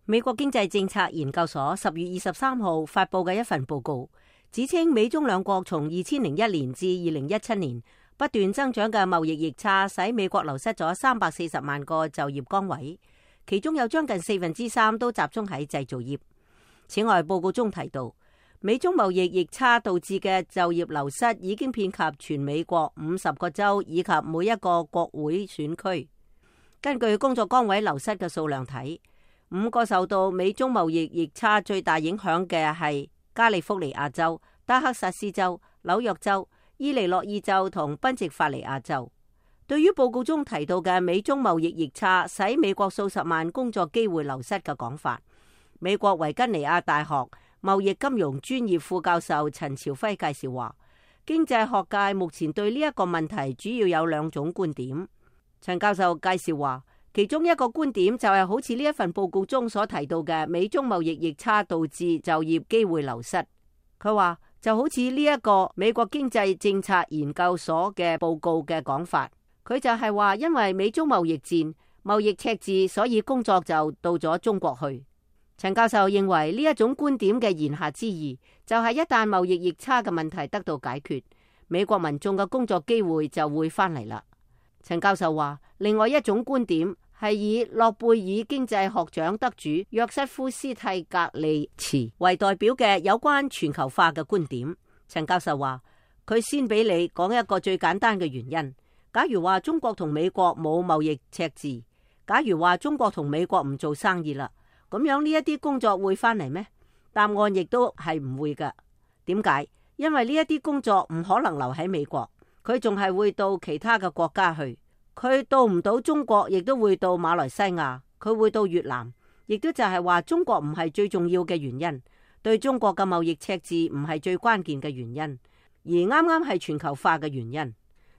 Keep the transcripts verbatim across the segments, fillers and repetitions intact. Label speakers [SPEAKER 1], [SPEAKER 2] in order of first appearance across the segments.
[SPEAKER 1] 美國經濟政策研究所十月二十三號發佈嘅一份報告，指稱美中兩國從二千零一年至二零一七年不斷增長嘅貿易逆差，使美國流失咗三百四十萬個就業崗位，其中有將近四分之三都集中喺製造業。此外，報告中提到，美中貿易逆差導致嘅就業流失已經遍及全美國五十個州以及每一個國會選區。根據工作崗位流失嘅數量睇，五個受到美中貿易逆差最大影響嘅係加利福尼亞州、德克薩斯州、紐約州、伊利諾伊州同賓夕法尼亞州。對於報告中提到嘅美中貿易逆差使美國數十萬工作機會流失嘅講法，美國維吉尼亞大學貿易金融專業副教授陳朝輝介紹話，經濟學界目前對呢一個問題主要有兩種觀點。陳教授介紹話，其中一個觀點就係好似呢一份報告中所提到嘅美中貿易逆差導致就業機會流失。佢話就好似呢一個美國經濟政策研究所嘅報告嘅講法，佢就係話因為美中貿易戰、貿易赤字，所以工作就到咗中國去。陳教授認為呢一種觀點嘅言下之意，就係一旦貿易逆差嘅問題得到解決，美國民眾嘅工作機會就會翻嚟啦。陳教授話，另外一種觀點係以諾貝爾經濟學獎得主約瑟夫斯蒂格利茨為代表嘅有關全球化嘅觀點。陳教授話，佢先俾你講一個最簡單嘅原因。假如話中國同美國冇貿易赤字，假如話中國同美國唔做生意啦，咁樣呢一啲工作會翻嚟咩？答案亦都係唔會噶。點解？因為呢一啲工作唔可能留喺美國，佢仲係會到其他嘅國家去。佢到唔到中國，亦都會到馬來西亞，佢會到越南，亦都就係話中國唔係最重要嘅原因，對中國嘅貿易赤字唔係最關鍵嘅原因，而啱啱係全球化嘅原因。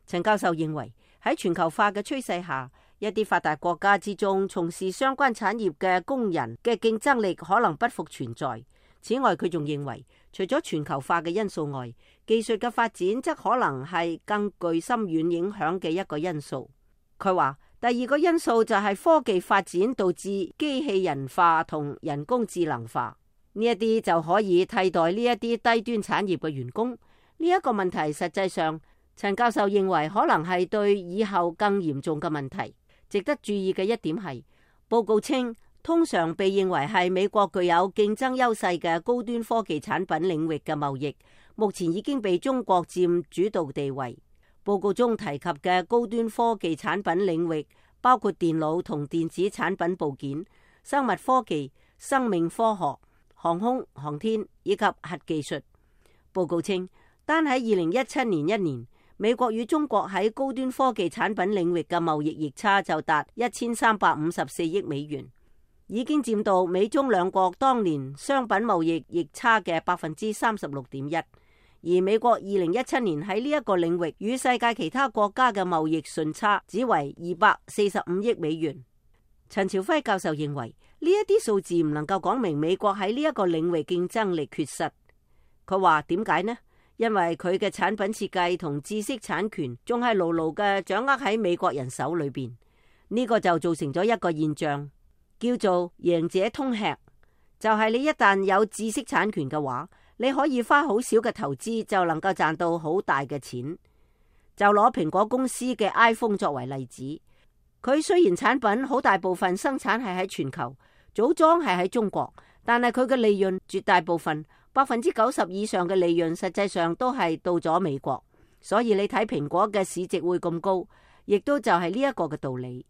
[SPEAKER 1] 陳教授認為喺全球化嘅趨勢下，一啲發達國家之中從事相關產業嘅工人嘅競爭力可能不復存在。此外，佢仲認為除咗全球化嘅因素外，技術嘅發展則可能係更具深遠影響嘅一個因素。佢話第二個因素就係科技發展導致機器人化同人工智能化，呢一啲就可以替代呢一啲低端產業嘅員工。呢一個問題實際上，陳教授認為可能係對以後更嚴重嘅問題。值得注意嘅一點係，報告稱通常被認為係美國具有競爭優勢嘅高端科技產品領域嘅貿易，目前已經被中國佔主導地位。報告中提及嘅高端科技產品領域包括電腦同電子產品部件、生物科技、生命科學、航空航天以及核技術。報告稱，單喺二零一七年一年，美國與中國喺高端科技產品領域嘅貿易逆差就達一千三百五十四億美元，已經佔到美中兩國當年商品貿易逆差嘅百分之三十六點一。而美國二零一七年喺呢一個領域與世界其他國家嘅貿易順差只為二百四十五億美元。陳朝輝教授認為呢一啲數字唔能夠講明美國喺呢一個領域競爭力缺失。佢話點解呢？因為佢嘅產品設計同知識產權仲係牢牢嘅掌握喺美國人手裏邊，呢個就造成咗一個現象，叫做贏者通吃。就係你一旦有知識產權嘅話，你可以花好少嘅投資就能夠賺到好大嘅錢。就攞蘋果公司嘅 iPhone 作為例子，佢雖然產品好大部分生產係喺全球，組裝係喺中國，但係佢嘅利潤絕大部分百分之九十以上嘅利潤實際上都係到咗美國。所以你睇蘋果嘅市值會咁高，亦都就係呢一個嘅道理。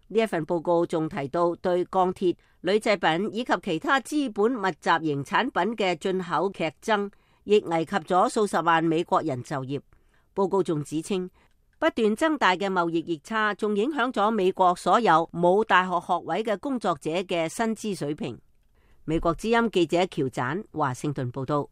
[SPEAKER 1] 呢一份報告仲提到對鋼鐵、鋁製品以及其他資本密集型產品嘅進口劇增，亦危及咗數十萬美國人就業。報告仲指稱，不斷增大嘅貿易逆差仲影響咗美國所有冇大學學位嘅工作者嘅薪資水平。美國之音記者喬展華盛頓報道。